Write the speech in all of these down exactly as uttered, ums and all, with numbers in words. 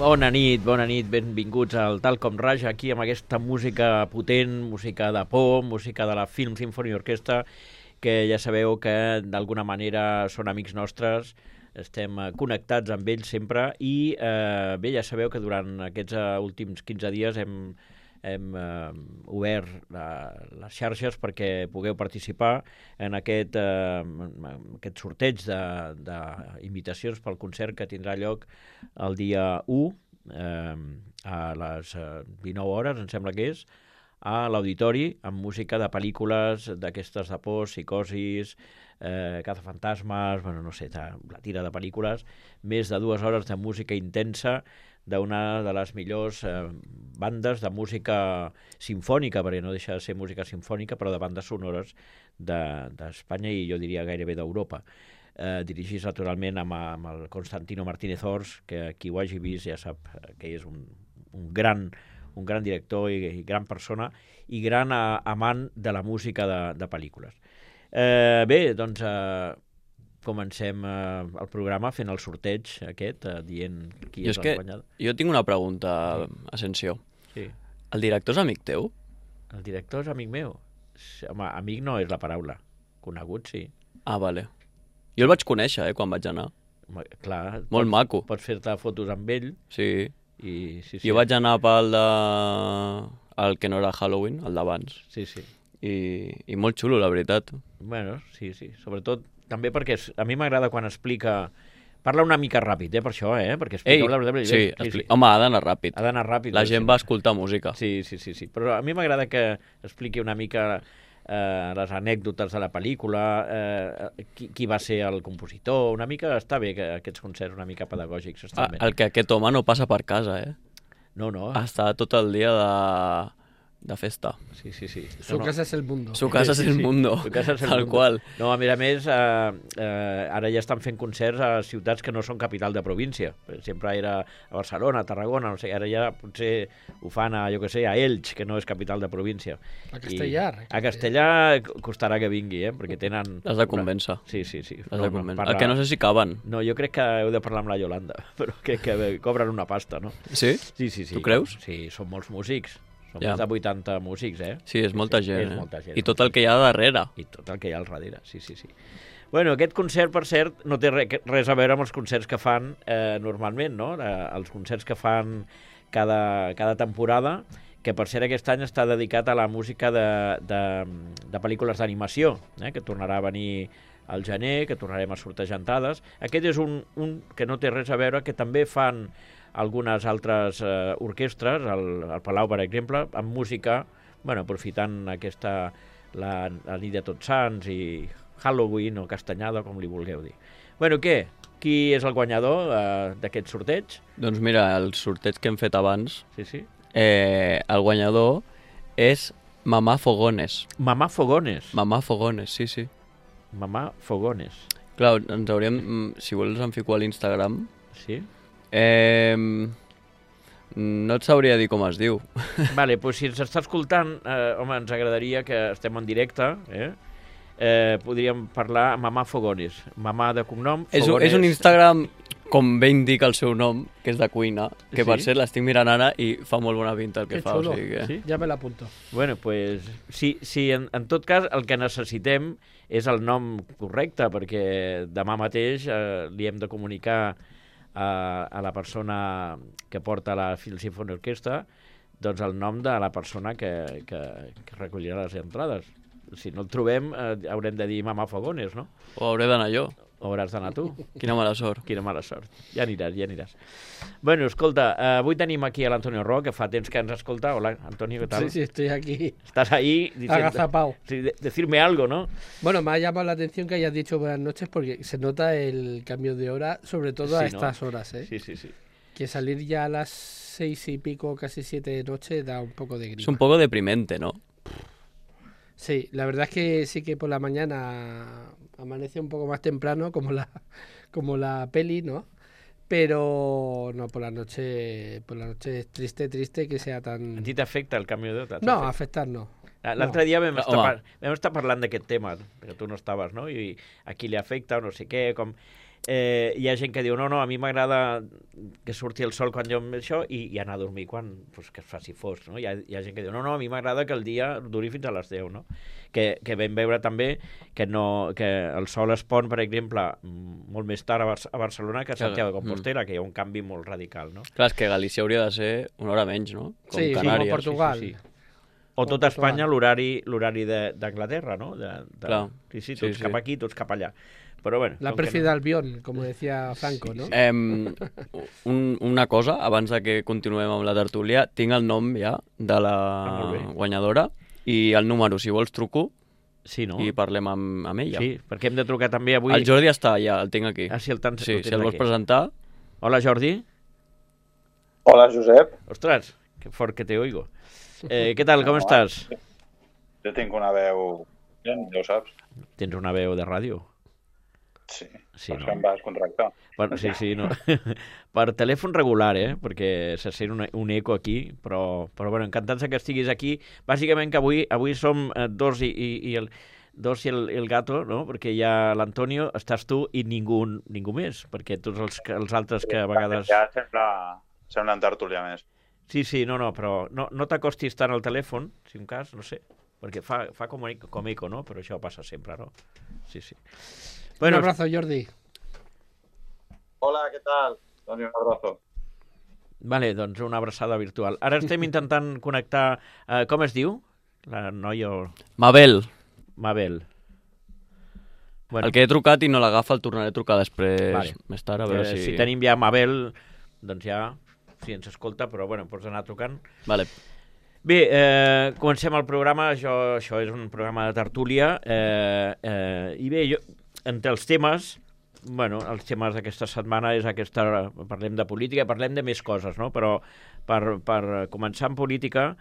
Bona nit, bona nit, benvinguts al Tal Com Raja, aquí amb aquesta música potent, música de por, música de la Film Symphony Orchestra, que ja sabeu que d'alguna manera són amics nostres, estem connectats amb ells sempre i eh, bé, ja sabeu que durant aquests uh, últims quinze dies hem, hem uh, obert la, les xarxes perquè pugueu participar en aquest, uh, aquest sorteig d'invitacions pel concert que tindrà lloc el dia u eh, a les dinou hores, em sembla que és, a l'auditori amb música de pel·lícules d'aquestes de por, psicosis, eh, cazafantasmes, bueno, no sé, la tira de pel·lícules, més de dues hores de música intensa d'una de les millors eh, bandes de música simfònica, perquè no deixa de ser música simfònica, però de bandes sonores d'Espanya de, i jo diria gairebé d'Europa. Eh, dirigits naturalment amb, amb el Constantino Martínez Ors, que qui ho hagi vist ja sap que és un, un, gran, un gran director i, i gran persona i gran a, amant de la música de, de pel·lícules. Eh, bé, doncs eh, comencem eh, el programa fent el sorteig aquest, eh, dient qui jo és, és el guanyador. Jo tinc una pregunta, Asensio. Sí. El director és amic teu? El director és amic meu? Home, amic no és la paraula. Conegut, sí. Ah, vale. Jo el vaig conèixer, eh, quan vaig anar. Clar. Molt pots, maco. Pots fer-te fotos amb ell. Sí. I, sí, sí. Jo vaig anar pel de... el que no era Halloween, el d'abans. Sí, sí. I, I molt xulo, la veritat. Bueno, sí, sí. Sobretot, també perquè a mi m'agrada quan explica... Parla una mica ràpid, eh, per això, eh? Perquè Ei, la veritat, sí, sí, sí. sí. Home, ha d'anar ràpid. Ha d'anar ràpid. La gent sí. va escoltar música. Sí, sí, sí, sí. Però a mi m'agrada que expliqui una mica eh, les anècdotes de la pel·lícula, eh, qui, qui va ser el compositor, una mica... Està bé que aquests concerts una mica pedagògics estan Ah, bé. el que aquest home no passa per casa, eh? No, no. Està tot el dia de... de festa. Sí, sí, sí. Su no, casa es el mundo. Su casa sí, es el sí. mundo, Su casa es el tal mundo. qual. No, a més a més, eh, eh, ara ja estan fent concerts a ciutats que no són capital de província. Sempre era a Barcelona, a Tarragona, no sé, ara ja potser ho fan a, jo què sé, a Elx, que no és capital de província. A Castellar. I a Castellà costarà que vingui, eh, perquè tenen... Has de convèncer. Sí, sí, sí. Has de convèncer. parla... El que no sé si caben. No, jo crec que heu de parlar amb la Yolanda, però que, que cobren una pasta, no? Sí? Sí, sí, sí. Tu creus? Sí, són molts músics. Són Ja. més de vuitanta músics, eh? Sí, és molta sí, gent, és eh? molta gent. I tot el que hi ha darrere. I tot el que hi ha al darrere, sí, sí, sí. Bueno, aquest concert, per cert, no té re, res a veure amb els concerts que fan eh, normalment, no? Eh, els concerts que fan cada, cada temporada, que per cert aquest any està dedicat a la música de, de, de pel·lícules d'animació, eh? Que tornarà a venir al gener, que tornarem a sortejar entrades. Aquest és un, un que no té res a veure, que també fan algunes altres eh, orquestres, al, al Palau, per exemple, amb música, bueno, aprofitant aquesta, la, la nit de Tots Sants i Halloween o Castanyada, com li vulgueu dir. Bueno, què? Qui és el guanyador eh, d'aquest sorteig? Doncs mira, el sorteig que hem fet abans, Sí, sí. eh, el guanyador és Mamà Fogones. Mamà Fogones. Mamà Fogones, sí, sí. Mamà Fogones. Clar, ens hauríem... Si vols em fico a l'Instagram. Sí? Eh, no et sabria dir com es diu. Vale, doncs si ens està escoltant, eh, home, ens agradaria que estem en directe, eh? Eh, podríem parlar amb Mamà Fogones. Mamà de cognom, És un, Fogones. és un Instagram, com bé indica el seu nom, que és de cuina, que Sí? per cert l'estic mirant ara i fa molt bona pinta el que Qué fa. chulo. O sigui que... Sí? Ya me la apunto. Bueno, pues, sí, sí en, en tot cas el que necessitem és el nom correcte, perquè demà mateix eh, li hem de comunicar a, a la persona que porta la Film Symphony Orchestra doncs el nom de la persona que, que, que recollirà les entrades. Si no el trobem, eh, haurem de dir Mamà Fogones, no? O hauré d'anar jo. O hauràs d'anar tu. Quina mala sort. Quina mala sort. Ja aniràs, ja aniràs. Bueno, escolta, eh, avui tenim aquí a l'Antonio Ro, que fa temps que ens escolta. Hola, Antonio, ¿qué tal? Sí, sí, estoy aquí Estás ahí diciendo, agazapado. sí, de- decirme algo, ¿no? Bueno, me ha llamado la atención que hayas dicho buenas noches porque se nota el cambio de hora, sobre todo a Sí, ¿no? estas horas, ¿eh? Sí, sí, sí. Que salir ya a las seis y pico, casi siete de noche, da un poco de grima. Es un poco deprimente, ¿no? Sí, la verdad es que sí que por la mañana amanece un poco más temprano, como la, como la peli, ¿no? Pero no, por la noche, por la noche es triste, triste que sea A tan... ti t'afecta el canvi d'hora? No, afectar no. L'altre dia vam No, estar, home. par vam estar parlant d'aquest tema, perquè tu no estaves, no? I a qui li afecta o no sé què, com... Eh, hi ha gent que diu, no, no, a mi m'agrada que surti el sol quan jo em això i, i anar a dormir quan pues, que es faci fosc, no? Hi ha, hi ha gent que diu, no, no, a mi m'agrada que el dia duri fins a les deu, no? Que, que vam veure també que, no, que el sol es pon, per exemple, molt més tard a, Bar a Barcelona que a Santiago de Compostela, mm. que hi ha un canvi molt radical, no? Clar, és que Galícia hauria de ser una hora menys, no? Com sí, Canàries. sí, com Portugal. Sí, sí, sí. O tot Espanya, l'horari d'Anglaterra, ¿no? De, de, Clar. Sí, sí, tots sí, cap sí. aquí, tots cap allà. Però bueno, la pérfida no. Albion, com decía Franco, no? Eh, un, una cosa, abans de que continuem amb la tertúlia, tinc el nom ja de la ah, guanyadora i el número, si vols truco, sí, no? i parlem amb, amb ella. Sí, perquè hem de trucar també avui... El Jordi està allà, el tinc aquí. Ah, sí, el, tant, sí, el si el vols aquí. presentar... Hola, Jordi. Hola, Josep. Ostres, que fort que te oigo. Eh, què tal, com no, estàs? Jo tinc una veu... Ja ho saps. Tens una veu de ràdio? Sí, sí per no? això em vas contractar. Per, sí, sí, no. Per telèfon regular, eh? Perquè se sent un, un eco aquí, però, però bueno, encantats que estiguis aquí. Bàsicament que avui avui som dos i, i, i el dos i el, el gato, no? Perquè hi ha l'Antonio, estàs tu i ningú, ningú més, perquè tots els, els altres que a vegades... Ja sembla, sembla en tertúlia més. Sí, sí, no, no, però no, no t'acostis tant al telèfon, si un cas, no sé, perquè fa, fa com, com eco, no? Però això passa sempre, no? Sí, sí. Bueno, un abrazo, Jordi. Hola, què tal? Doni un abrazo. Vale, doncs una abraçada virtual. Ara estem intentant connectar... Eh, com es diu? La noia... Mabel. Mabel. Bueno. El que he trucat i no l'agafa el tornaré a trucar després, vale. Més tard, a veure eh, si... Si tenim ja Mabel, doncs ja... Si ens escolta, però bueno, pots anar trucant. Vale. Bé, eh, comencem el programa. Això, això és un programa de tertúlia. Eh, eh, I bé, jo, entre els temes, bueno, els temes d'aquesta setmana és aquesta... Parlem de política, parlem de més coses, no? Però per, per començar en política,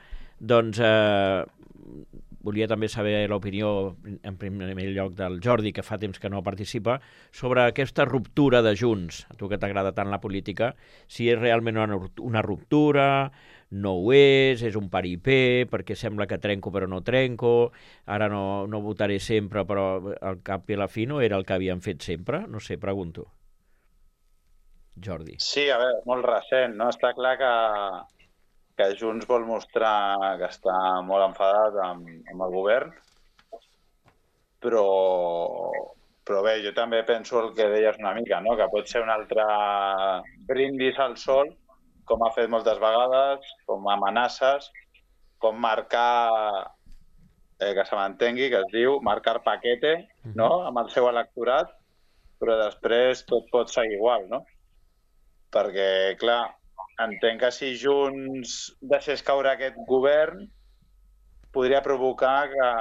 doncs... Eh, volia també saber l'opinió, en primer lloc, del Jordi, que fa temps que no participa, sobre aquesta ruptura de Junts. A tu que t'agrada tant la política, si és realment una, una ruptura, no ho és, és un paripé, perquè sembla que trenco però no trenco, ara no, no votaré sempre, però al cap i a la fi no era el que havien fet sempre? No sé, pregunto. Jordi. Sí, a veure, molt recent, no? Està clar que... que Junts vol mostrar que està molt enfadat amb, amb el govern, però, però bé, jo també penso el que deies una mica, no? Que pot ser un altre brindis al sol, com ha fet moltes vegades, com amenaces, com marcar, eh, que se m'entengui, que es diu marcar paquete, no? Amb el seu electorat, però després tot pot seguir igual, no? Perquè, clar, entenc que si Junts deixés caure aquest govern podria provocar que,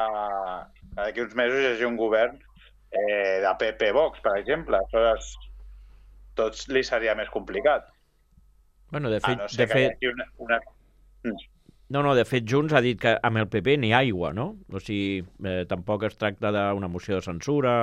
que d'aquí uns mesos hi hagi un govern eh, de P P Vox, per exemple. Aleshores, tots li seria més complicat. Bueno, de fet... Ah, no sé, de fet... Una, una... No, no, de fet, Junts ha dit que amb el P P n'hi ha aigua, no? O sigui, eh, tampoc es tracta d'una moció de censura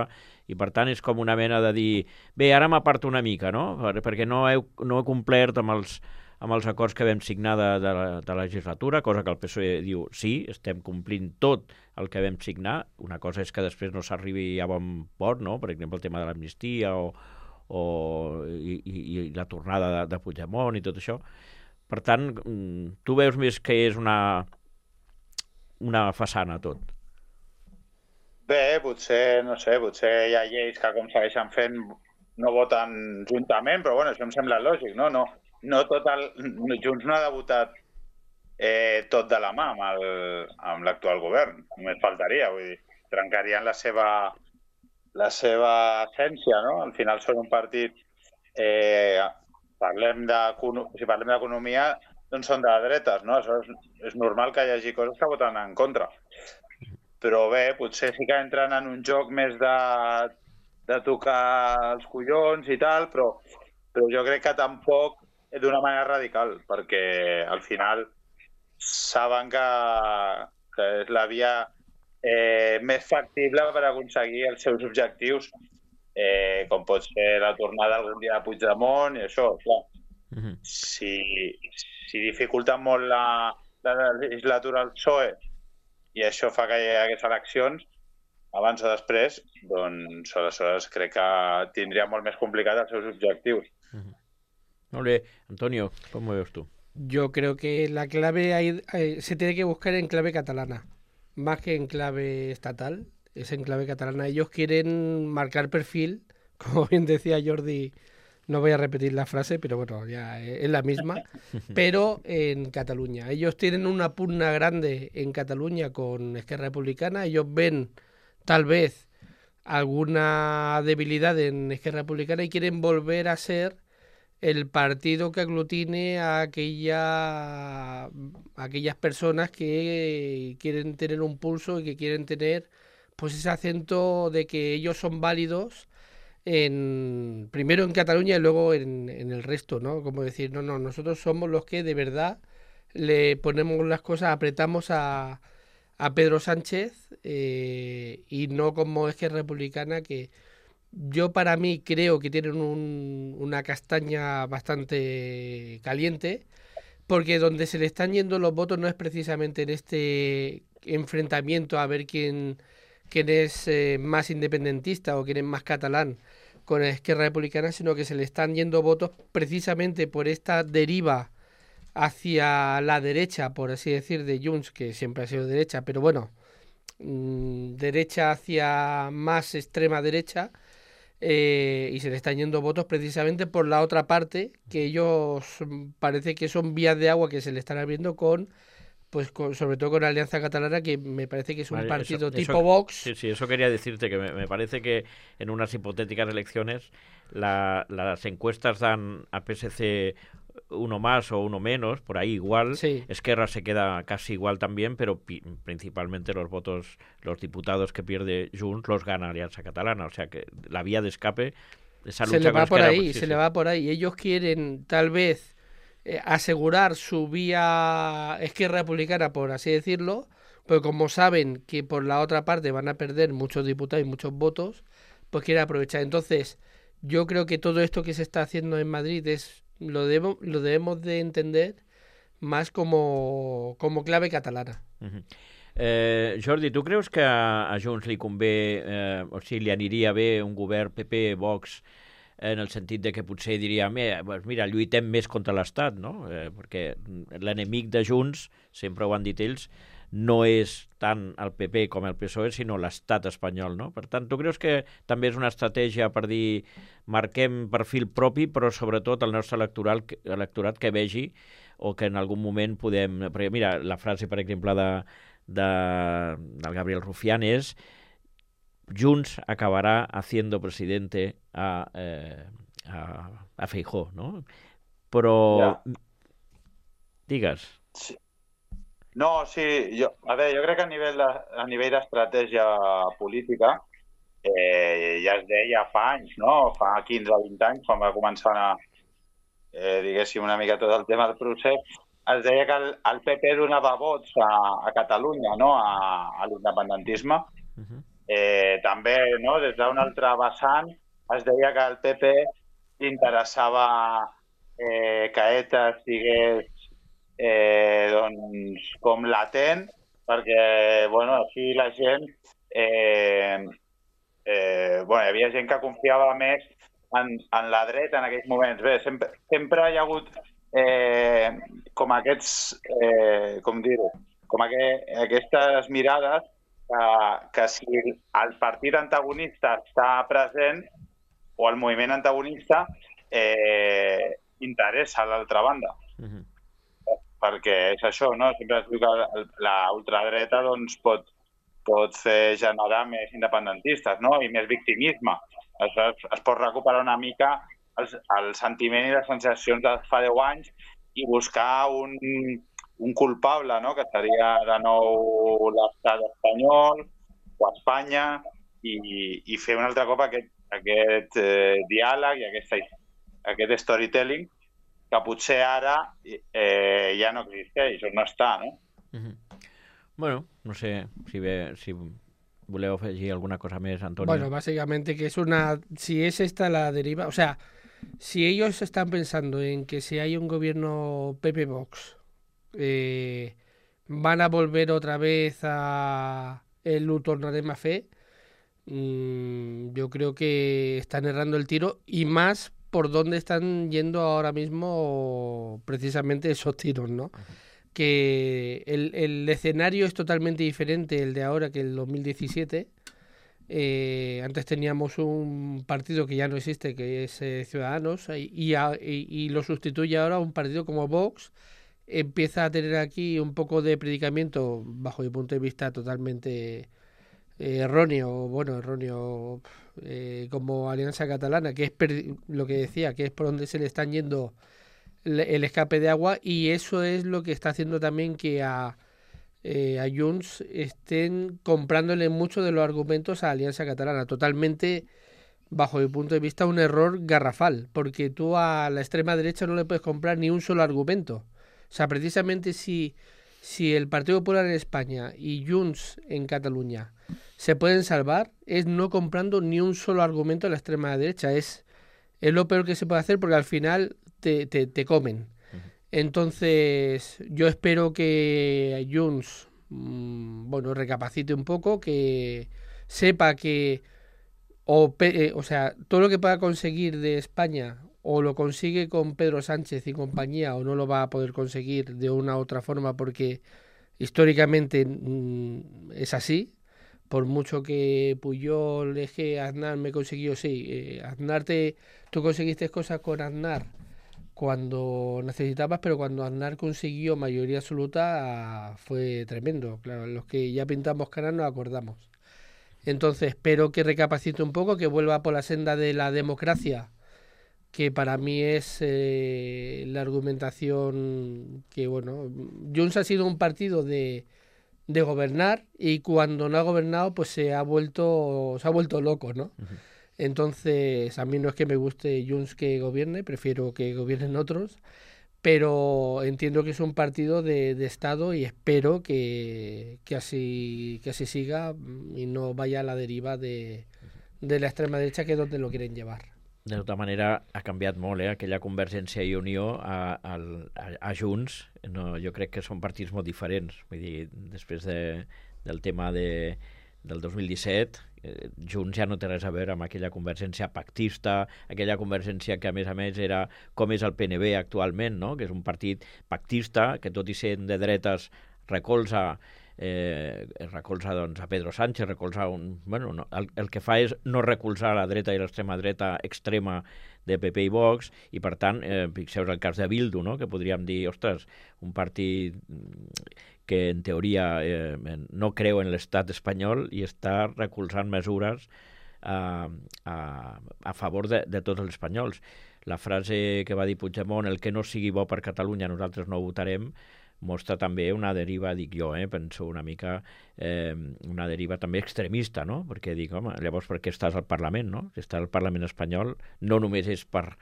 i, per tant, és com una mena de dir bé, ara m'aparto una mica, no? Perquè no he, no he complert amb els, amb els acords que vam signar de, de, la, de la legislatura, cosa que el P S O E diu sí, estem complint tot el que vam signar. Una cosa és que després no s'arribi a bon port, no? Per exemple, el tema de l'amnistia o, o, i, i, i la tornada de, de Puigdemont i tot això. Per tant, tu veus més que és una, una façana tot? Bé, potser, no sé, potser hi ha lleis que com segueixen fent no voten juntament, però bueno, això em sembla lògic, no? No, no tot el... Junts no ha debutat eh, tot de la mà amb, el, amb l'actual govern, només faltaria, vull dir, trencarien la seva, la seva essència, no? Al final són un partit... Eh, parlem de, si parlem d'economia, doncs són de dretes, no? Això és, és normal que hi hagi coses que voten en contra. Però bé, potser sí que entren en un joc més de, de tocar els collons i tal, però, però jo crec que tampoc d'una manera radical, perquè al final saben que, que és la via eh, més factible per aconseguir els seus objectius, eh, com pot ser la tornada algun dia de Puigdemont i això, clar. Mm-hmm. Si, si dificulten molt la, la legislatura al P S O E i això fa que hi hagués eleccions, abans o després, doncs aleshores crec que tindria molt més complicat els seus objectius. Uh-huh. Molt bé. Antonio, ¿cómo ves tú? Yo creo que la clave hay, hay, se tiene que buscar en clave catalana, más que en clave estatal, es en clave catalana. Ellos quieren marcar perfil, como bien decía Jordi, no voy a repetir la frase, pero bueno, ya es la misma, pero en Cataluña. Ellos tienen una pugna grande en Cataluña con Esquerra Republicana, ellos ven tal vez alguna debilidad en Esquerra Republicana y quieren volver a ser el partido que aglutine a aquella, a aquellas personas que quieren tener un pulso y que quieren tener pues ese acento de que ellos son válidos en primero en Cataluña y luego en, en el resto, ¿no? Como decir, no, no, nosotros somos los que de verdad le ponemos las cosas, apretamos a, a Pedro Sánchez eh, y no como es que es republicana, que yo para mí creo que tienen un, una castaña bastante caliente, porque donde se le están yendo los votos no es precisamente en este enfrentamiento a ver quién, quién es eh, más independentista o quién es más catalán con la Esquerra Republicana, sino que se le están yendo votos precisamente por esta deriva hacia la derecha, por así decir, de Junts, que siempre ha sido derecha, pero bueno, mmm, derecha hacia más extrema derecha, eh, y se le están yendo votos precisamente por la otra parte, que ellos parece que son vías de agua que se le están abriendo con, pues con, sobre todo con la Alianza Catalana, que me parece que es un vale, partido eso, tipo eso, Vox. Sí, sí, eso quería decirte, que me, me parece que en unas hipotéticas elecciones la, las encuestas dan a P S C uno más o uno menos, por ahí igual. Sí. Esquerra se queda casi igual también, pero pi- principalmente los votos, los diputados que pierde Junts los gana Alianza Catalana. O sea que la vía de escape, esa lucha se le va con por Esquerra, ahí, sí, se sí. le va por ahí. Ellos quieren tal vez eh, asegurar su vía Esquerra Republicana, por así decirlo, pero como saben que por la otra parte van a perder muchos diputados y muchos votos, pues quieren aprovechar. Entonces, yo creo que todo esto que se está haciendo en Madrid es lo debemos lo debemos de entender más como, como clave catalana. Uh-huh. Eh, Jordi, tu creus que a, a Junts li convé, eh, o sigui, li aniria bé un govern P P-Vox en el sentit de que potser diria, pues mira, lluitem més contra l'Estat, no? Eh, perquè l'enemic de Junts, sempre ho han dit ells, no és tant el P P com el P S O E, sinó l'estat espanyol, no? Per tant, tu creus que també és una estratègia per dir marquem perfil propi, però sobretot el nostre electoral, electorat que vegi o que en algun moment podem... Perquè mira, la frase, per exemple, de, de, del Gabriel Rufián és Junts acabará haciendo presidente a, eh, a, a Feijóo, no? Però... Ja. Digues. Sí. No, sí, jo, a veure, jo crec que a nivell de, a nivell d'estratègia política eh, ja es deia fa anys, no? Fa quinze o vint anys, quan va començar a, eh, diguéssim, una mica tot el tema del procés, es deia que el, el P P donava vots a, a Catalunya, no? A, a l'independentisme. Uh-huh. Eh, també, no? Des d'un altre vessant, es deia que el P P interessava eh, que ETA estigués Eh, doncs, com latent, perquè bueno, així la gent eh, eh, bueno, hi havia gent que confiava més en, en la dreta en aquells moments. Bé, sempre, sempre hi ha hagut eh, com aquests eh, com dir-ho, com aqu aquestes mirades que, que si el partit antagonista està present o el moviment antagonista eh, interessa a l'altra banda. Uh-huh. Perquè és això, no? Sempre es diu que la ultradreta doncs, pot, pot fer generar més independentistes, no? I més victimisme. Es, es pot recuperar una mica el, el sentiment i les sensacions de fa deu anys i buscar un, un culpable, no? Que seria de nou l'estat espanyol o Espanya i, i fer un altre cop aquest, aquest eh, diàleg i aquesta, aquest storytelling que potser ara eh, ja no existeix, o no està, no? Uh-huh. Bueno, no sé si, ve, si voleu afegir alguna cosa més, Antonio. Bueno, básicamente que es una... Si es esta la deriva... O sea, si ellos están pensando en que si hay un gobierno P P-Vox eh, van a volver otra vez a el ho tornarem a fer, mmm, yo creo que están errando el tiro y más por dónde están yendo ahora mismo precisamente esos tiros, ¿no? Que el, el escenario es totalmente diferente el de ahora que el dos mil diecisiete. Eh, antes teníamos un partido que ya no existe, que es eh, Ciudadanos, y, y, a, y, y lo sustituye ahora un partido como Vox. Empieza a tener aquí un poco de predicamiento, bajo mi punto de vista, totalmente eh, erróneo, bueno, erróneo, eh, como Alianza Catalana, que es lo que decía, que es por donde se le están yendo el, el escape de agua, y eso es lo que está haciendo también que a Eh, a Junts estén comprándole mucho de los argumentos a Alianza Catalana. Totalmente, bajo mi punto de vista, un error garrafal, porque tú a la extrema derecha no le puedes comprar ni un solo argumento. O sea, precisamente si, si el Partido Popular en España y Junts en Cataluña se pueden salvar, es no comprando ni un solo argumento a la extrema derecha. Es, es lo peor que se puede hacer porque al final te, te, te comen. Entonces, yo espero que Junts, mmm, bueno, recapacite un poco, que sepa que, o, eh, o sea, todo lo que pueda conseguir de España, o lo consigue con Pedro Sánchez y compañía, o no lo va a poder conseguir de una u otra forma, porque históricamente mmm, es así. Por mucho que Puyol, Eje, Aznar me consiguió, sí, eh, Aznar te, tú conseguiste cosas con Aznar cuando necesitabas, pero cuando Aznar consiguió mayoría absoluta fue tremendo. Claro, los que ya pintamos caras nos acordamos. Entonces espero que recapacite un poco, que vuelva por la senda de la democracia, que para mí es eh, la argumentación que, bueno, Junts ha sido un partido de, de gobernar y cuando no ha gobernado pues se ha vuelto, se ha vuelto loco, ¿no? Uh-huh. Entonces, a mí no es que me guste Junts que gobierne, prefiero que gobiernen otros, pero entiendo que es un partido de, de Estado y espero que, que, así, que así siga y no vaya a la deriva de, de la extrema derecha, que es donde lo quieren llevar. De tota manera, ha canviat molt, eh? Aquella Convergència i Unió a, a, a Junts. No, jo crec que són partits molt diferents. Vull dir, després de, del tema de, del dos mil disset, eh, Junts ja no té res a veure amb aquella convergència pactista, aquella convergència que, a més a més, era com és el P N B actualment, no? Que és un partit pactista que, tot i sent de dretes, recolza eh, recolza doncs, a Pedro Sánchez, recolza un... Bueno, no, el, el que fa és no recolzar la dreta i l'extrema dreta extrema de P P i Vox, i per tant, eh, fixeu el cas de Bildu, no? Que podríem dir, ostres, un partit que en teoria eh, no creu en l'estat espanyol i està recolzant mesures a, a, a favor de, de tots els espanyols. La frase que va dir Puigdemont, el que no sigui bo per Catalunya nosaltres no ho votarem, mostra també una deriva, dic jo, eh, penso una mica, eh, una deriva també extremista, no? Perquè dic, home, llavors per què estàs al Parlament, no? Si estàs al Parlament espanyol no només és per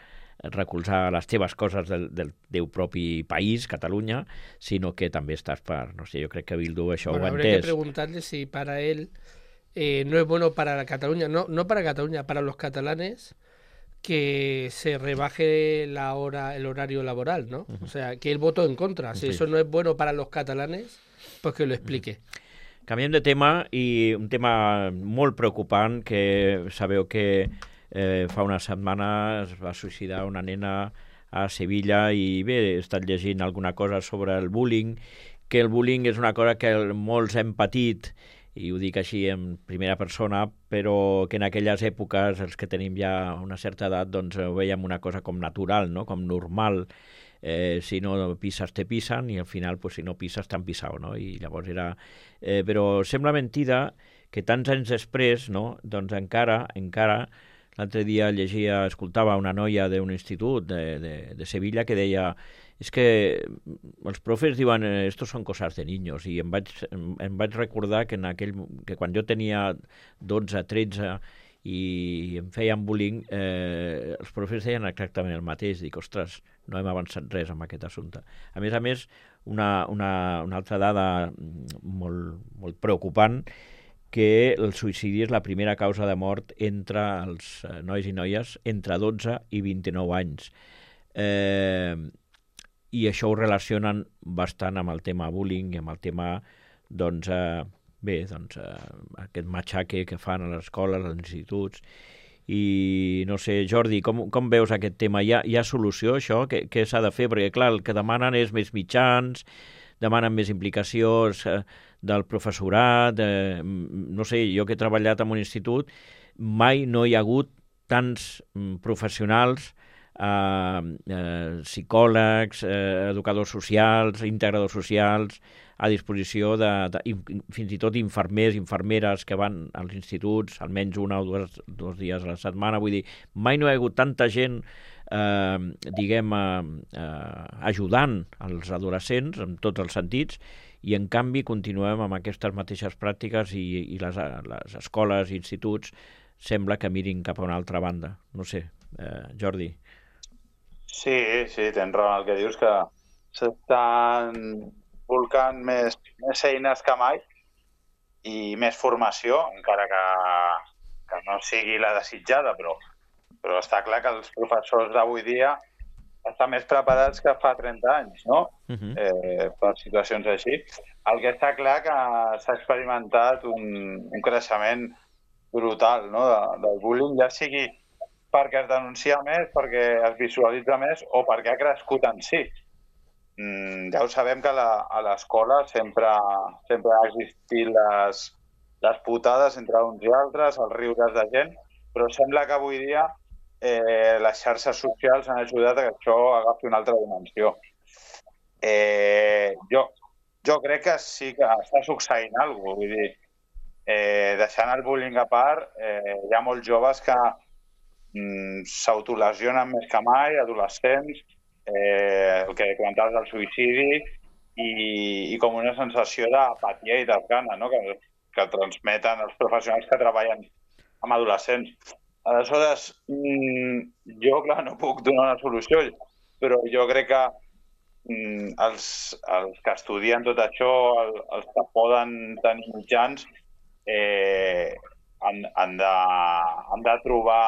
recolzar les teves coses del, del teu propi país, Catalunya, sinó que també estàs per, no sé, jo crec que Bildu això bueno, ho ha entès. Habría que preguntarle si para él eh, no es bueno para la Cataluña, no, no para Cataluña, para los catalanes, que se rebaje la hora, el horario laboral, ¿no? Uh-huh. O sea, que él votó en contra. Si sí. Eso no es bueno para los catalanes, pues que lo explique. Uh-huh. Canviem de tema, i un tema molt preocupant, que sabeu que eh, fa una setmana es va suïcidar una nena a Sevilla, i bé, he estat llegint alguna cosa sobre el bullying, que el bullying és una cosa que molts hem patit, i ho dic així en primera persona, però que en aquelles èpoques, els que tenim ja una certa edat, doncs ho veiem una cosa com natural, no? Com normal. Eh, si no pises, te pisen, i al final, pues, si no pises, t'han pisat, no? I llavors era... Eh, però sembla mentida que tants anys després, no? Doncs encara, encara, l'altre dia llegia, escoltava una noia d'un institut de, de, de Sevilla que deia: és que els profes diuen estos son cosas de niños, i em vaig, em, em vaig recordar que, en aquell, que quan jo tenia dotze, tretze i em feien bullying, eh, els profes deien exactament el mateix. Dic, ostres, no hem avançat res amb aquest assumpte. A més a més, una, una, una altra dada molt, molt preocupant, que el suïcidi és la primera causa de mort entre els nois i noies entre dotze i vint-i-nou anys. Eh, I això ho relacionen bastant amb el tema bullying i amb el tema, doncs, eh, bé, doncs, eh, aquest matxaque que fan a les escoles, als instituts. I no sé, Jordi, com, com veus aquest tema? Hi ha, hi ha solució, això? Què, què s'ha de fer? Perquè, clar, el que demanen és més mitjans, demanen més implicacions eh, del professorat, eh, no sé, jo que he treballat en un institut, mai no hi ha hagut tants mm, professionals, eh, eh, psicòlegs, eh, educadors socials, integradors socials, a disposició de, de, fins i tot infermers, infermeres que van als instituts almenys una o dues, dos dies a la setmana. Vull dir, mai no hi ha hagut tanta gent eh, diguem, eh, eh, ajudant els adolescents en tots els sentits, i en canvi continuem amb aquestes mateixes pràctiques i, i les, les escoles i instituts sembla que mirin cap a una altra banda. No sé, eh, Jordi. Sí, sí, tens raó en el que dius, que s'estan volcant més, més eines que mai i més formació, encara que, que no sigui la desitjada, però, però està clar que els professors d'avui dia estan més preparats que fa trenta anys, no? Uh-huh. eh, per situacions així. El que està clar que s'ha experimentat un, un creixement brutal, no? de, del bullying, ja sigui perquè es denuncia més, perquè es visualitza més o perquè ha crescut en si. Mm, ja ho sabem que la, a l'escola sempre, sempre ha existit les, les putades entre uns i altres, els riures de gent, però sembla que avui dia eh, les xarxes socials han ajudat a que això agafi una altra dimensió. Eh, jo, jo crec que sí que està succeint alguna cosa, vull dir, eh, deixant el bullying a part, eh, hi ha molts joves que mm, s'autolesionen més que mai, adolescents, Eh, el que comentaves del suïcidi i, i com una sensació d'apatia i desgana, no? que, que transmeten els professionals que treballen amb adolescents. Aleshores, mm, jo, clar, no puc donar una solució, però jo crec que mm, els, els que estudien tot això, el, els que poden tenir mitjans, eh, han, han, de, han de trobar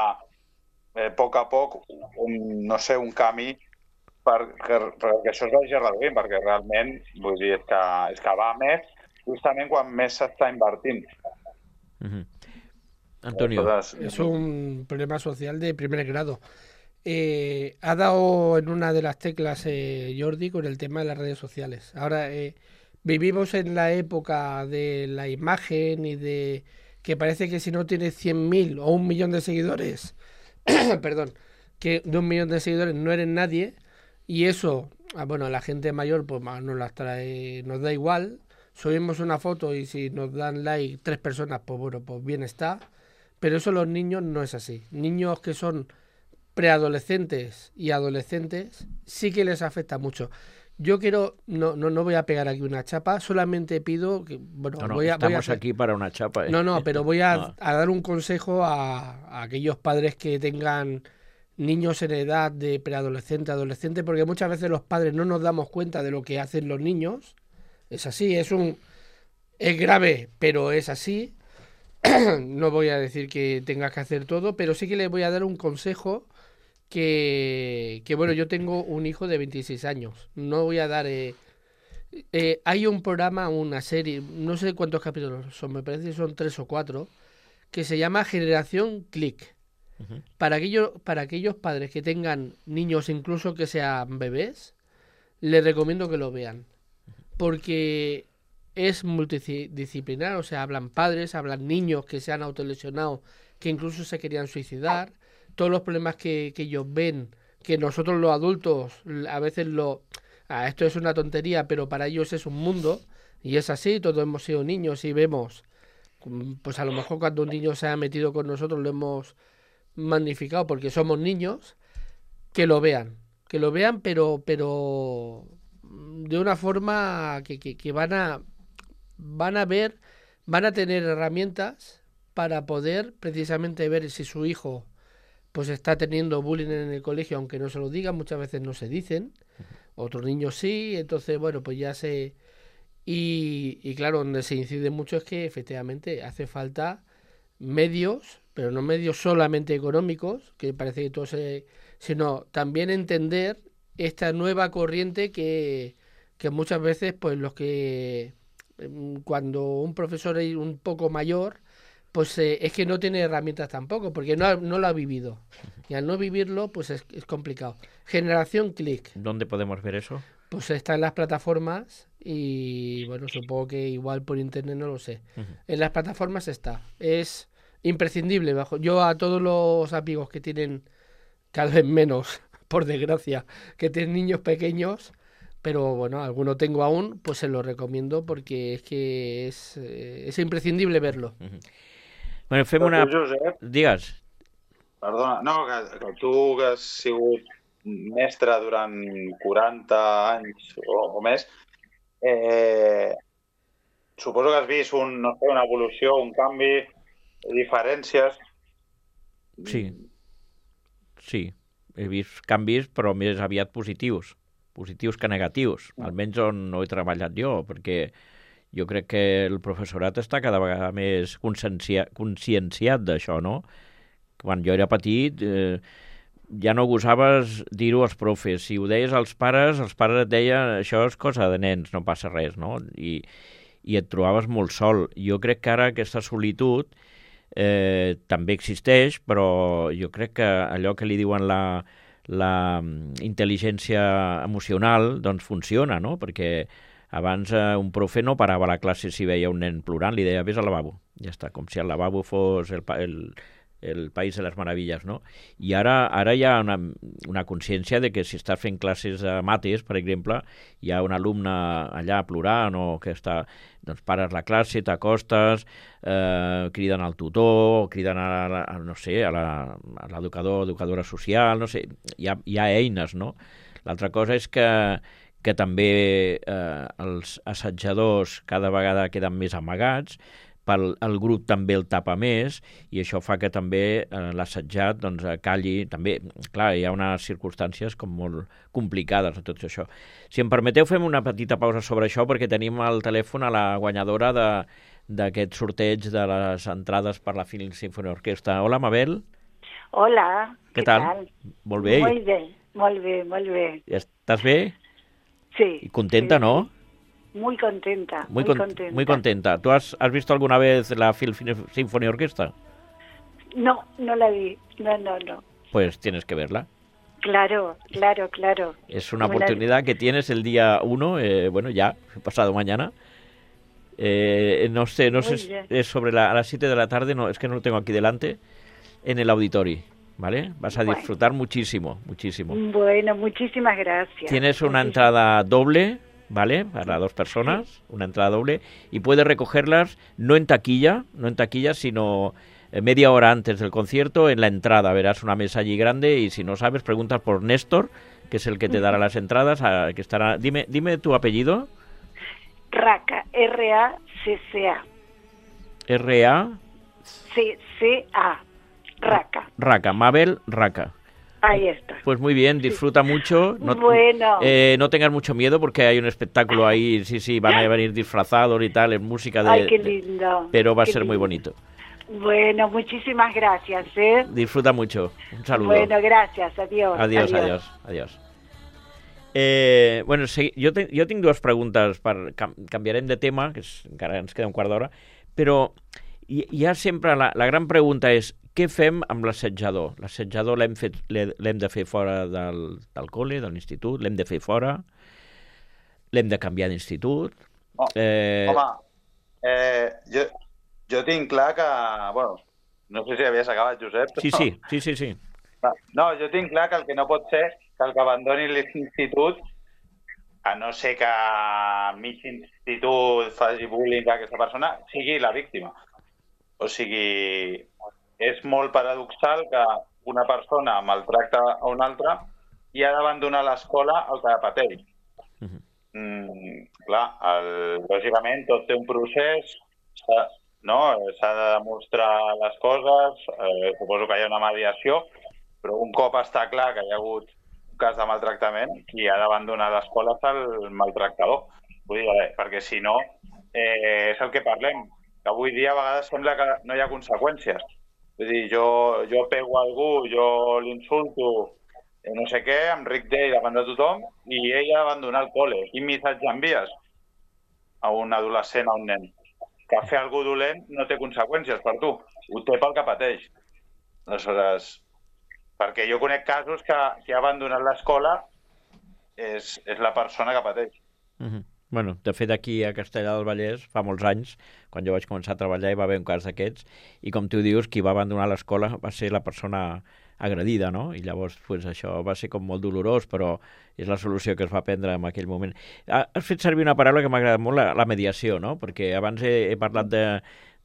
eh, a poc a poc un, no sé, un camí perquè, perquè això es vagi reduint, perquè realment vull dir, és, que, és que va més justament quan més s'està invertint. Uh-huh. Antonio. Entonces, es un problema social de primer grado. Eh, ha dado en una de las teclas eh, Jordi con el tema de las redes sociales. Ahora eh, vivimos en la época de la imagen y de que parece que si no tienes cien mil o un millón de seguidores, perdón, que de un millón de seguidores no eres nadie. Y eso, bueno, a la gente mayor pues nos las trae, nos da igual. Subimos una foto y si nos dan like tres personas, pues bueno, pues bien está. Pero eso los niños no es así. Niños que son preadolescentes y adolescentes sí que les afecta mucho. Yo quiero, no, no, no voy a pegar aquí una chapa, solamente pido que, bueno, no, no, voy a, estamos voy a hacer... aquí para una chapa. ¿eh? No, no, pero voy a, no. a dar un consejo a, a aquellos padres que tengan niños en edad de preadolescente, adolescente, porque muchas veces los padres no nos damos cuenta de lo que hacen los niños. Es así, es un es grave, pero es así. No voy a decir que tengas que hacer todo, pero sí que les voy a dar un consejo que, que bueno, yo tengo un hijo de veintiséis años. No voy a dar... Eh, eh, hay un programa, una serie, no sé cuántos capítulos son, me parece que son tres o cuatro, que se llama Generación Click. Uh-huh. Para aquellos, para aquellos padres que tengan niños, incluso que sean bebés, les recomiendo que lo vean. Porque es multidisciplinar, o sea, hablan padres, hablan niños que se han autolesionado, que incluso se querían suicidar, todos los problemas que, que ellos ven, que nosotros los adultos a veces lo... Ah, esto es una tontería, pero para ellos es un mundo, y es así, todos hemos sido niños y vemos, pues a lo mejor cuando un niño se ha metido con nosotros lo hemos magnificado porque somos niños, que lo vean, que lo vean, pero pero de una forma que, que, que van a van a ver, van a tener herramientas para poder precisamente ver si su hijo pues está teniendo bullying en el colegio, aunque no se lo digan, muchas veces no se dicen, otros niños sí, entonces bueno, pues ya se... Y, y claro, donde se incide mucho es que efectivamente hace falta medios, pero no medios solamente económicos, que parece que todo se... sino también entender esta nueva corriente que, que muchas veces pues los que cuando un profesor es un poco mayor, pues eh, es que no tiene herramientas tampoco, porque no, ha, no lo ha vivido. Y al no vivirlo, pues es, es complicado. Generación Click. ¿Dónde podemos ver eso? Pues está en las plataformas y, bueno, supongo que igual por internet, no lo sé. Uh-huh. En las plataformas está. Es imprescindible. Bajo. Yo a todos los amigos que tienen, cada vez menos, por desgracia, que tienen niños pequeños, pero bueno, alguno tengo aún, pues se lo recomiendo porque es que es, eh, es imprescindible verlo. Uh-huh. Bueno, fem una... Josep, digues. Perdona, no, que, que tu que has sigut mestre durant quaranta anys o, o més, eh, suposo que has vist un, no sé, una evolució, un canvi, diferències. Sí, sí, he vist canvis, però més aviat positius, positius que negatius, almenys on no he treballat jo, perquè jo crec que el professorat està cada vegada més consciencia, conscienciat d'això, no? Quan jo era petit, eh, ja no gosaves dir-ho als profes. Si ho deies als pares, els pares et deien això és cosa de nens, no passa res, no? I, i et trobaves molt sol. Jo crec que ara aquesta solitud eh, també existeix, però jo crec que allò que li diuen la, la intel·ligència emocional, doncs funciona, no? Perquè abans eh, un profe no parava la classe si veia un nen plorant, li deia vés al lavabo. Ja està, com si el lavabo fos el, el, el país de les meravilles, no? I ara, ara hi ha una, una consciència de que si estàs fent classes de mates, per exemple, hi ha un alumne allà plorant o que està... doncs pares la classe, t'acostes, eh, criden al tutor, criden a, la, a no sé, a l'educador, educadora social, no sé, hi ha, hi ha eines, no? L'altra cosa és que, que també eh, els assetjadors cada vegada queden més amagats, pel, el grup també el tapa més i això fa que també eh, l'assetjat doncs, calli. També, clar, hi ha unes circumstàncies com molt complicades de tot això. Si em permeteu, fem una petita pausa sobre això perquè tenim al telèfon a la guanyadora d'aquest sorteig de les entrades per la Film Symphony Orquestra. Hola, Mabel. Hola, què què tal? tal? Molt bé. Molt bé, molt bé, molt bé. ¿Estás bé? Sí. ¿Y contenta, sí, no? Sí. Muy contenta, muy, muy con, contenta. Muy contenta. ¿Tú has, has visto alguna vez la Film Symphony Orquestra? No, no la vi. No, no, no. Pues tienes que verla. Claro, claro, claro. Es una Me oportunidad la... que tienes el día uno, eh, bueno, ya, pasado mañana. Eh, no sé, no Muy sé, bien. es sobre la, a las siete de la tarde, no, es que no lo tengo aquí delante, en el auditorio, ¿vale? Vas a Bueno. disfrutar muchísimo, muchísimo. Bueno, muchísimas gracias. Tienes una Muchísimas... entrada doble, ¿vale? Para dos personas, sí. Una entrada doble, y puedes recogerlas no en taquilla, no en taquilla, sino media hora antes del concierto en la entrada. Verás una mesa allí grande y si no sabes, preguntas por Néstor, que es el que te dará las entradas, a, que estará... Dime, dime tu apellido. Raca, R A C C A. R A C C A. Raca. Raca, Mabel Raca. Ahí está. Pues muy bien, disfruta mucho. No, bueno. Eh, no tengas mucho miedo porque hay un espectáculo ahí, sí, sí, van a venir disfrazados y tal, en música de... Ay, qué lindo. De, pero va a qué ser lindo. muy bonito. Bueno, muchísimas gracias, ¿eh? Disfruta mucho. Un saludo. Bueno, gracias. Adiós. Adiós, adiós, adiós. Eh, bueno, sí, jo, te, jo tinc dues preguntes, per, cam, canviarem de tema, que és, encara ens queda un quart d'hora, però hi, hi ha sempre, la, la gran pregunta és, què fem amb l'assetjador? L'assetjador l'hem fet, l'hem de fer fora del, del col·le, de l'institut, l'hem de fer fora, l'hem de canviar d'institut... Oh, eh... Home, eh, jo, jo tinc clar que... Bueno, no sé si havies acabat, Josep. Sí, sí, sí, sí, sí. No, jo tinc clar que el que no pot ser que el que abandoni l'institut, a no ser que mig institut faci bullying a aquesta persona, sigui la víctima. O sigui, és molt paradoxal que una persona maltracta a una altra i ha d'abandonar l'escola el que pateix. Uh-huh. mm, clar, el, lògicament tot té un procés, s'ha no? de demostrar les coses, eh, suposo que hi ha una mediació, però un cop està clar que hi ha hagut un cas de maltractament, qui ha d'abandonar l'escola és el maltractador. Vull dir, eh, perquè si no, eh, és el que parlem, que avui dia a vegades sembla que no hi ha conseqüències. Vull dir, jo, jo pego a algú, jo l'insulto, eh, no sé què, em ric d'ell davant de tothom, i ell ha d'abandonar el col·le. Quin missatge envies? a un adolescent, a un nen, que fer algú dolent no té conseqüències per tu, ho té pel que pateix. Aleshores, perquè jo conec casos que qui ha abandonat l'escola és, és la persona que pateix. Uh-huh. Bueno, de fet, aquí a Castellar del Vallès, fa molts anys, quan jo vaig començar a treballar, hi va haver un cas d'aquests, i com tu dius, qui va abandonar l'escola va ser la persona agredida, no? I llavors, pues, això va ser com molt dolorós, però és la solució que es va prendre en aquell moment. Has fet servir una paraula que m'ha agradat molt, la, la mediació, no? Perquè abans he, he parlat de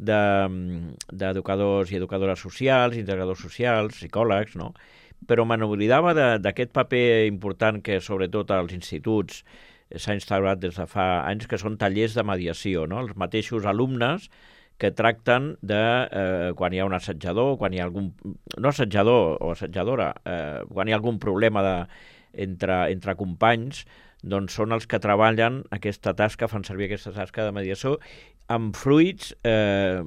d'educadors i educadores socials, integradors socials, psicòlegs, no? Però me n'oblidava d'aquest paper important que, sobretot als instituts, s'ha instaurat des de fa anys, que són tallers de mediació, no? Els mateixos alumnes que tracten de, eh, quan hi ha un assetjador, quan hi ha algun... no assetjador o assetjadora, eh, quan hi ha algun problema de, entre, entre companys, doncs són els que treballen aquesta tasca, fan servir aquesta tasca de mediació, amb fruits eh,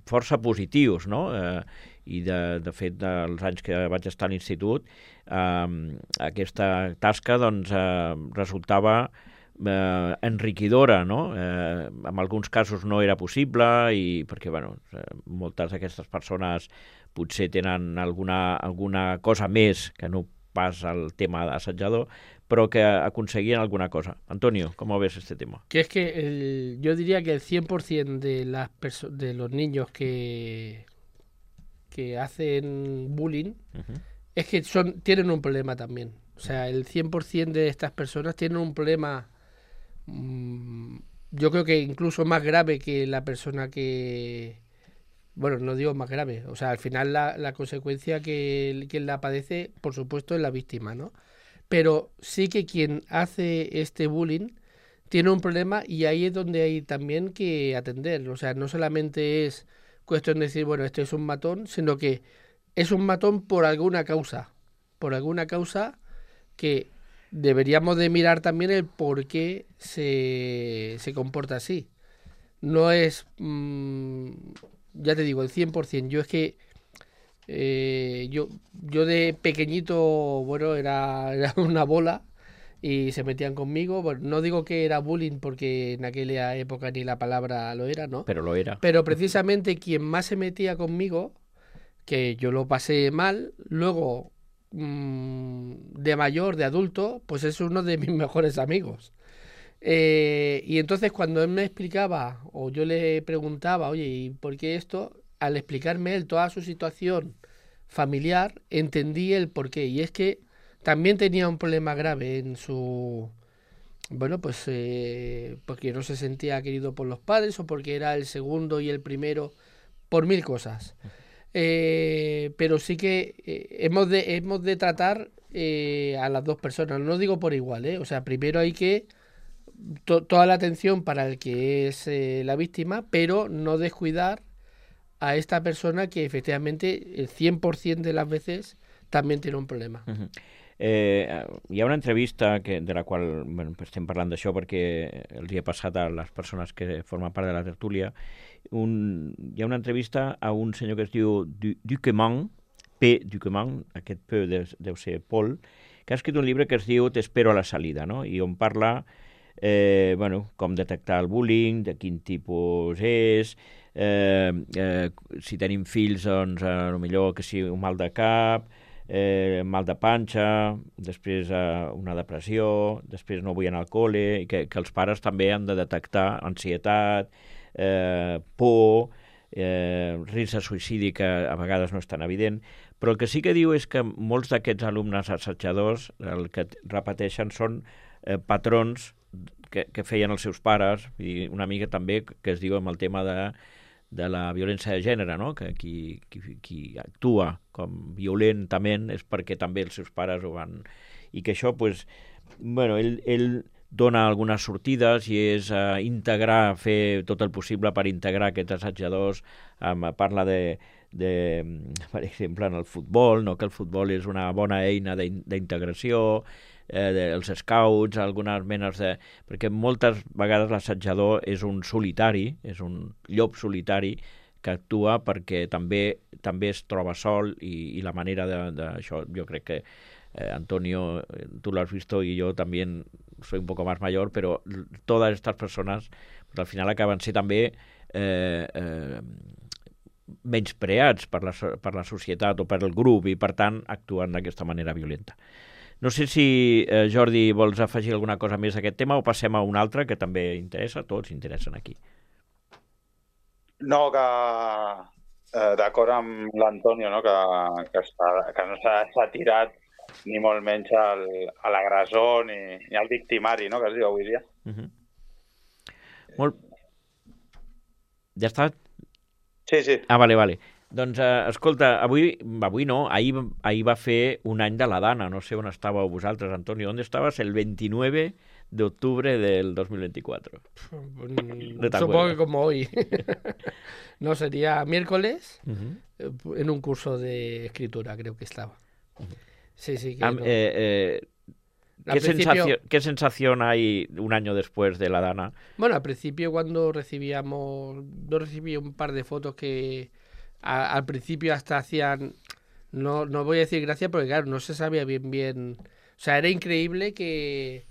força positius, no? Eh, I, de, de fet, dels anys que vaig estar a l'institut, eh, aquesta tasca doncs, eh, resultava eh, enriquidora, no? Eh, en alguns casos no era possible, i perquè bueno, eh, moltes d'aquestes persones potser tenen alguna, alguna cosa més que no pas el tema d'assetjador, pero que aconseguían alguna cosa. Antonio, ¿cómo ves este tema? Que es que el, yo diría que el cien por ciento de, las perso- de los niños que, que hacen bullying uh-huh. es que son tienen un problema también. O sea, el cien por ciento de estas personas tienen un problema, mmm, yo creo que incluso más grave que la persona que... Bueno, no digo más grave. O sea, al final la, la consecuencia que quien la padece, por supuesto, es la víctima, ¿no? Pero sí que quien hace este bullying tiene un problema, y ahí es donde hay también que atender. O sea, no solamente es cuestión de decir, bueno, este es un matón, sino que es un matón por alguna causa. Por alguna causa que deberíamos de mirar también el por qué se, se comporta así. No es, mmm, ya te digo, el cien por ciento. Yo es que Eh, yo, yo de pequeñito, bueno, era, era una bola y se metían conmigo. Bueno, no digo que era bullying porque en aquella época ni la palabra lo era, ¿no? Pero lo era. Pero precisamente quien más se metía conmigo, que yo lo pasé mal, luego mmm, de mayor, de adulto, pues es uno de mis mejores amigos. Eh, y entonces cuando él me explicaba o yo le preguntaba, oye, ¿y por qué esto? Al explicarme él toda su situación familiar, entendí el porqué. Y es que también tenía un problema grave en su... Bueno, pues eh, porque no se sentía querido por los padres, o porque era el segundo y el primero, por mil cosas. Eh, pero sí que eh, hemos, de, hemos de tratar eh, a las dos personas. No digo por igual, ¿eh? O sea, primero hay que... To, toda la atención para el que es eh, la víctima, pero no descuidar a esta persona que efectivamente el cien por ciento de las veces també tiene un problema. Uh-huh. Eh, hi ha una entrevista que, de la qual bueno, estem parlant d'això perquè els hi ha passat a les persones que formen part de la tertúlia. Un, hi ha una entrevista a un senyor que es diu Duquemant, P. Duquemant, aquest P deu, deu ser Paul, que ha escrit un llibre que es diu T'espero a la salida, no? I on parla eh, bueno, com detectar el bullying, de quin tipus és, eh, eh, si tenim fills, doncs, eh, millor que sigui un mal de cap, eh, mal de panxa, després eh, una depressió, després no vull anar al col·le, i que, que els pares també han de detectar ansietat, eh, por, eh, risc de suïcidi, que a vegades no és tan evident, però el que sí que diu és que molts d'aquests alumnes assetjadors el que repeteixen són eh, patrons que, que feien els seus pares, i una mica també que es diu amb el tema de, de la violència de gènere, no? Que qui, qui, qui actua com violentament és perquè també els seus pares ho van... I que això, pues, bueno, ell, ell dona algunes sortides i és uh, integrar, fer tot el possible per integrar aquests assetjadors. Um, parla de, de, per exemple, en el futbol, no? Que el futbol és una bona eina d'integració, eh, dels scouts, algunes menes de... Perquè moltes vegades l'assetjador és un solitari, és un llop solitari que actua perquè també també es troba sol, i, i la manera d'això, jo crec que eh, Antonio, tu l'has vist i jo també soy un poco más mayor, pero todas estas personas pues, al final acaben ser també eh, eh, menyspreats per la, per la societat o per el grup i, per tant, actuen d'aquesta manera violenta. No sé si, eh, Jordi, vols afegir alguna cosa més a aquest tema o passem a un altre que també interessa, tots interessen aquí. No, que eh, d'acord amb l'Antonio, no? que, que, està, que no s'ha tirat ni molt menys al, a l'agressor ni, ni al victimari, no? que es diu avui dia. Uh-huh. Molt... Ja està? Sí, sí. Ah, vale, vale. Doncs, eh, escolta, avui, avui no, ahir, ahir va fer un any de la Dana, no sé on estàveu vosaltres, Antonio, ¿dónde estabas? El veintinueve de octubre del dos mil veinticuatro. No Supongo que como hoy. No, sería miércoles, uh-huh. en un curso de escritura creo que estaba. Uh-huh. Sí, sí. Que Am, no. eh, eh, ¿qué, principio... sensación, ¿Qué sensación hay un año después de la Dana? Bueno, al principio cuando recibíamos, yo recibí un par de fotos que a, al principio hasta hacían, no, no voy a decir gracias porque claro, no se sabía bien bien, o sea, era increíble que,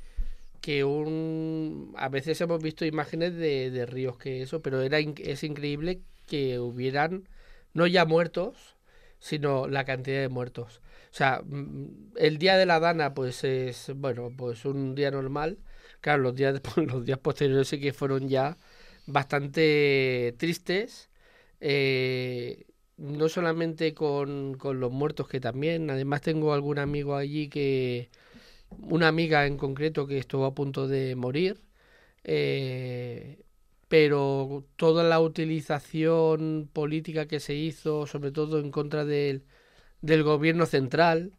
que un, a veces hemos visto imágenes de, de ríos que eso, pero era es increíble que hubieran, no ya muertos, sino la cantidad de muertos. O sea, el día de la Dana pues es, bueno, pues un día normal. Claro, los días, los días posteriores sí que fueron ya bastante tristes, eh, no solamente con, con los muertos, que también, además tengo algún amigo allí que, una amiga en concreto que estuvo a punto de morir, eh, pero toda la utilización política que se hizo, sobre todo en contra del del gobierno central,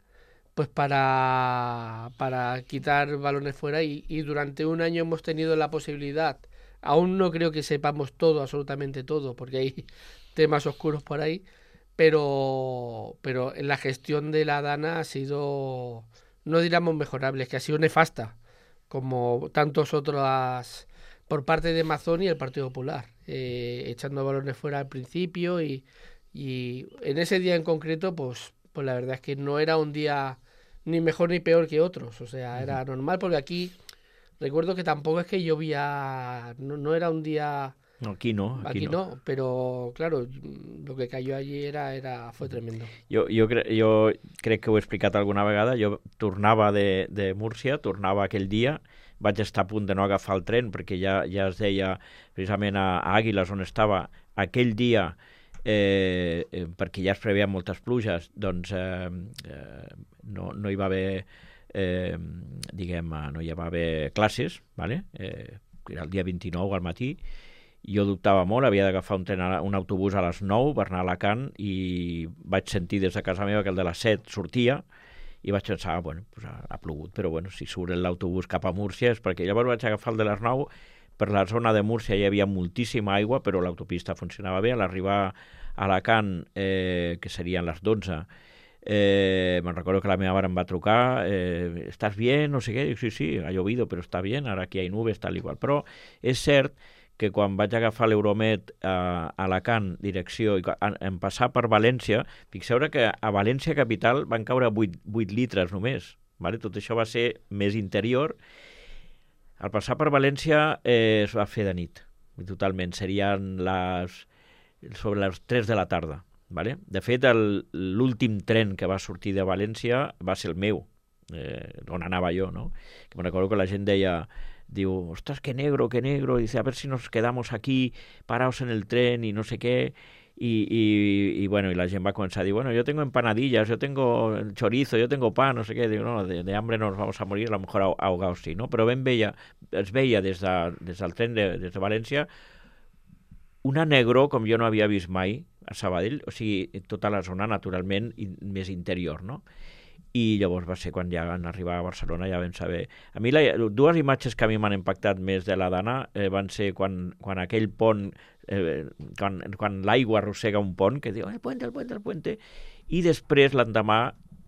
pues para, para quitar balones fuera y, y durante un año hemos tenido la posibilidad, aún no creo que sepamos todo, absolutamente todo, porque hay temas oscuros por ahí, pero, pero en la gestión de la Dana ha sido, no diríamos mejorable, es que ha sido nefasta, como tantos otros por parte de Mazón y el Partido Popular, eh, echando balones fuera al principio y Y en ese día en concreto, pues, pues la verdad es que no era un día ni mejor ni peor que otros. O sea, era normal porque aquí, recuerdo que tampoco es que llovía, no, no era un día... No, aquí no. Aquí, aquí no. no, pero claro, lo que cayó allí era, era, fue tremendo. Jo, jo, cre jo crec que ho he explicat alguna vegada. Jo tornava de, de Múrcia, tornava aquell dia, vaig estar a punt de no agafar el tren perquè ja, ja es deia precisament a, a Àguiles, on estava, aquell dia... Eh, eh, perquè ja es preveien moltes pluges, doncs eh, eh, no, no hi va haver eh, diguem, no hi va haver classes, vale? eh, era el dia vint-i-nou al matí, jo dubtava molt, havia d'agafar un, tren a, un autobús a les nou per anar a Alacant i vaig sentir des de casa meva que el de les set sortia i vaig pensar, bueno, pues ha, ha plogut, però bueno, si surt l'autobús cap a Múrcia és perquè llavors vaig agafar el de les nou. Per la zona de Múrcia hi havia moltíssima aigua, però l'autopista funcionava bé. A l'arribar a Alacant, eh, que serien les dotze, eh, me'n recordo que la meva mare em va trucar, eh, ¿estás bien? No sé què. Dic, sí, sí, ha llovido, però està bien, ara aquí hi ha nubes, tal igual. Però és cert que quan vaig agafar l'Euromed a Alacant, direcció, i en passar per València, fixeu que a València capital van caure vuit litres només. Vale? Tot això va ser més interior. Al passar per València eh, es va fer de nit, totalment. Serien les, sobre les tres de la tarda. Vale? De fet, l'últim tren que va sortir de València va ser el meu, eh, on anava jo, no? Que me recordo que la gent deia, diu, ostras, que negro, que negro, dice, a ver si nos quedamos aquí parados en el tren y no sé qué. Y, y, y bueno, y la gent va començar a dir, bueno, yo tengo empanadillas, yo tengo chorizo, yo tengo pan, no sé què. Digo, no, de, de hambre no nos vamos a morir, a lo mejor ahogados sí, no? Però ben veia, es veia des, de, des del tren de, des de València una negror com jo no havia vist mai a Sabadell, o sigui, tota la zona naturalment i, més interior, no? I llavors va ser quan ja van arribar a Barcelona, ja vam saber... A mi, la, dues imatges que a mi m'han impactat més de la Dana eh, van ser quan, quan aquell pont, eh, quan, quan l'aigua arrossega un pont, que diu, el puente, el puente, el puente, i després l'endemà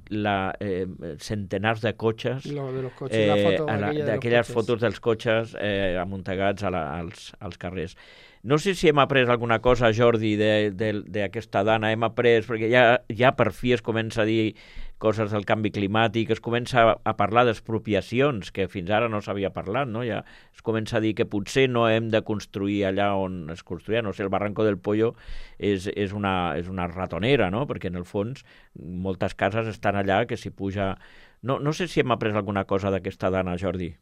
la, eh, centenars de cotxes, no, de los coches, eh, d'aquelles de fotos dels cotxes eh, amuntegats a la, als, als carrers. No sé si hem après alguna cosa, Jordi, d'aquesta dana. Hem après, perquè ja, ja per fi es comença a dir coses del canvi climàtic, es comença a parlar d'expropiacions, que fins ara no s'havia parlat, no? Ja es comença a dir que potser no hem de construir allà on es construïa, no sé, el Barranco del Pollo és, és, una, és una ratonera, no? Perquè en el fons moltes cases estan allà que s'hi puja... No, no sé si hem après alguna cosa d'aquesta dana, Jordi.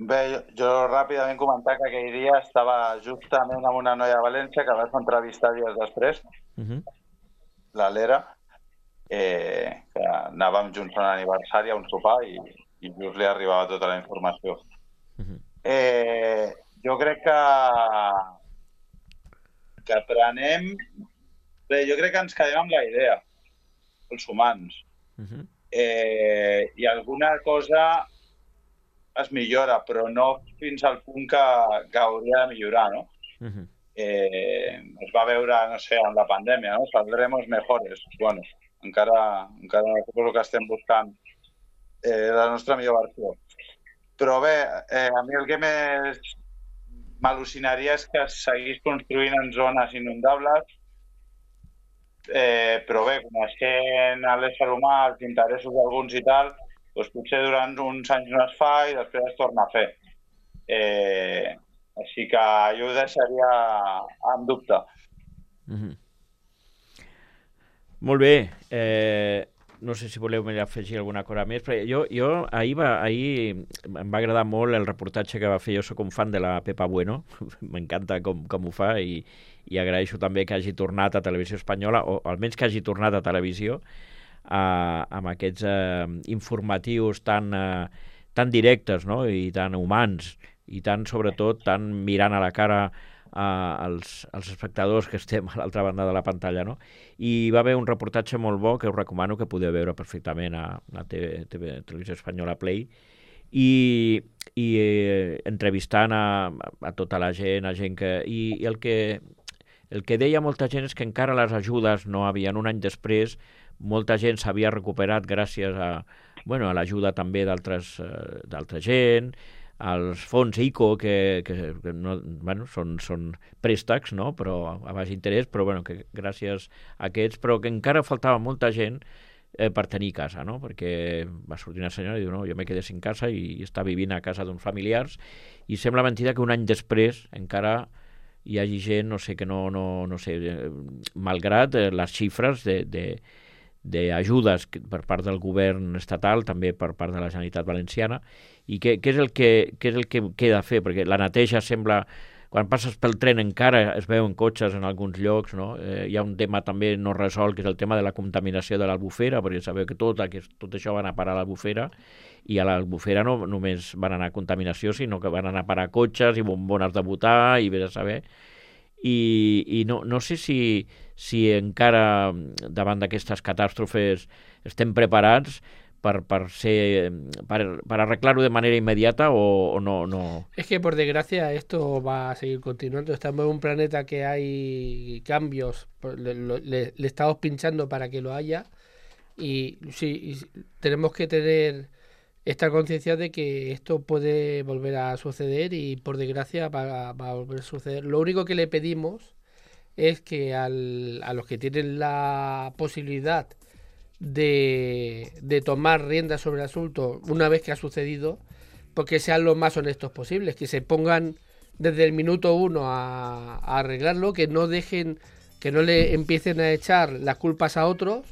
Bé, jo, jo ràpidament comentar que aquell dia estava justament amb una noia de València que vas entrevistar dies després, uh-huh. la Lera, eh, que anàvem junts a un aniversari, a un sopar, i, i just li arribava tota la informació. Uh-huh. Eh, jo crec que que aprenem... Bé, jo crec que ens quedem amb la idea, els humans. Uh-huh. eh, I alguna cosa es millora, però no fins al punt que, que hauria de millorar, no? Uh-huh. eh, es va veure, no sé, en la pandèmia, no? Saldremos mejores. Bueno, encara, encara suposo que estem buscant eh, la nostra millor versió. Però bé, eh, a mi el que més m'al·lucinaria és que es seguís construint en zones inundables, eh, però bé, coneixent l'ésser humà, els interessos d'alguns i tal, doncs potser durant uns anys no es fa i després es torna a fer. Eh, així que jo ho deixaria en dubte. Mm-hmm. Molt bé. Eh, no sé si voleu afegir alguna cosa més, però jo, jo ahir, va, ahir em va agradar molt el reportatge que va fer. Jo soc un fan de la Pepa Bueno, m'encanta com, com ho fa, i, i agraeixo també que hagi tornat a Televisió Espanyola, o almenys que hagi tornat a televisió, Uh, amb aquests uh, informatius tan, uh, tan directes, no? I tan humans, i tan, sobretot, tan mirant a la cara uh, als, als espectadors que estem a l'altra banda de la pantalla, no? I va haver un reportatge molt bo que us recomano, que podeu veure perfectament a la T V, T V, Televisió Espanyola Play, i, i eh, entrevistant a, a tota la gent, a gent que... I, i el que el que deia molta gent és que encara les ajudes no havien, un any després, molta gent s'havia recuperat gràcies a, bueno, a l'ajuda també d'altres uh, d'altra gent, als fons ICO, que, que, que no, bueno, són, són préstecs, no? Però a baix interès, però bueno, que gràcies a aquests, però que encara faltava molta gent eh, per tenir casa, no? Perquè va sortir una senyora i diu, no, jo me quedé sin casa i, i està vivint a casa d'uns familiars, i sembla mentida que un any després encara hi hagi gent, no sé, que no, no, no sé, eh, malgrat eh, les xifres de, de d'ajudes per part del govern estatal, també per part de la Generalitat Valenciana, i què, què, és el que, què és el que queda a fer, perquè la neteja sembla, quan passes pel tren encara es veuen cotxes en alguns llocs, no? Eh, hi ha un tema també no resolt, que és el tema de la contaminació de l'Albufera, perquè sabeu que tot, que tot això va anar a parar a l'Albufera, i a l'Albufera no només van anar a contaminació, sinó que van anar a parar cotxes i bombones de butà, i vés a saber. I, i no, no sé si, si encara davant d'aquestes catàstrofes estem preparats per, per, ser, per, per arreglar-ho de manera inmediata o, o no, no. Es que por desgracia esto va a seguir continuando. Estamos en un planeta que hay cambios, le, le, le estamos pinchando para que lo haya, y sí, y tenemos que tener esta conciencia de que esto puede volver a suceder, y por desgracia va, va a volver a suceder. Lo único que le pedimos es que al, a los que tienen la posibilidad de, de tomar riendas sobre el asunto una vez que ha sucedido, porque sean los más honestos posibles, que se pongan desde el minuto uno a, a arreglarlo, que no dejen, que no le empiecen a echar las culpas a otros,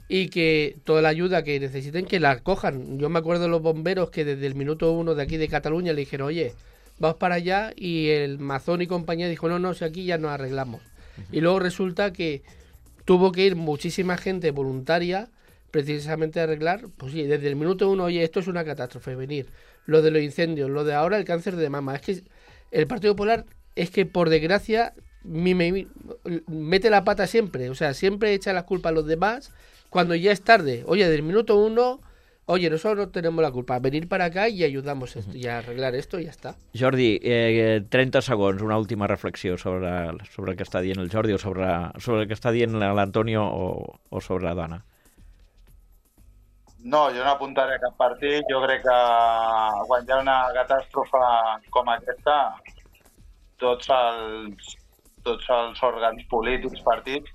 y que toda la ayuda que necesiten que la cojan. Yo me acuerdo de los bomberos que desde el minuto uno de aquí de Cataluña le dijeron, oye, vamos para allá, y el Mazón y compañía dijo, no, no, si aquí ya nos arreglamos. Uh-huh. Y luego resulta que tuvo que ir muchísima gente voluntaria precisamente a arreglar, pues sí, desde el minuto uno, oye, esto es una catástrofe, venir. Lo de los incendios, lo de ahora el cáncer de mama. Es que el Partido Popular, es que por desgracia, mi, mi, mete la pata siempre, o sea, siempre echa la culpa a los demás cuando ya es tarde. Oye, del minuto uno, oye, nosotros no tenemos la culpa, venir para acá y ayudamos esto, y a arreglar esto i ja està. Jordi, eh, trenta segons, una última reflexió sobre, sobre el que està dient el Jordi, o sobre, sobre el que està dient l'Antonio, o, o sobre la Dana. No, jo no apuntaré a cap partit. Jo crec que quan hi ha una catàstrofe com aquesta, tots els, tots els òrgans polítics, partits,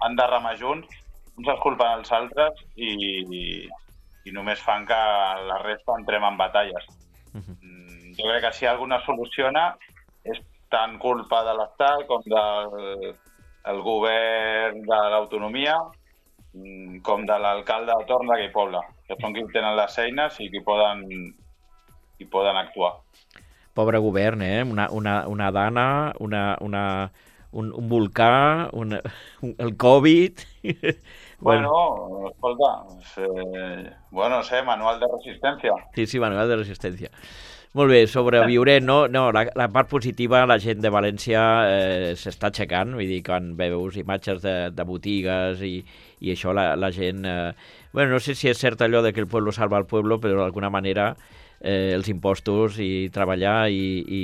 han de remar junts, uns es culpen els altres i, i, i només fan que la resta entrem en batalles. Uh-huh. Jo crec que si alguna soluciona és tant culpa de l'Estat com del el govern de l'autonomia, com de l'alcalde de torn d'aquell poble, que són qui tenen les eines i qui poden, qui poden actuar. Pobre govern, eh? Una, una, una dana, una, una, un, un volcà, un, un, el Covid... Bueno, bueno escolta, eh, bueno, no sé, manual de resistència. Sí, sí, manual de resistència. Molt bé, sobreviurem, no? No, la, la part positiva, la gent de València eh, s'està aixecant, vull dir, quan veus imatges de, de botigues i, i això, la, la gent... Eh, bueno, no sé si és cert allò de que el pueblo salva al pueblo, però d'alguna manera eh, els impostos i treballar i, i,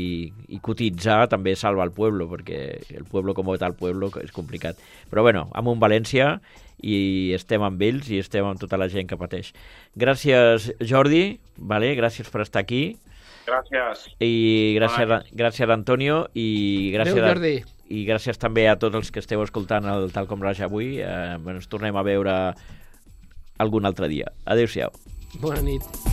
i cotitzar també salva el pueblo, perquè el pueblo com tal pueblo és complicat. Però bueno, amb un València i estem amb ells i estem amb tota la gent que pateix. Gràcies, Jordi, vale? Gràcies per estar aquí. Gràcies. I gràcies, a, gràcies Antonio i gràcies, Adéu, Jordi. I gràcies també a tots els que esteu escoltant el Tal com Raja avui. Eh, ens tornem a veure algun altre dia. Adéu-siau. Bona nit.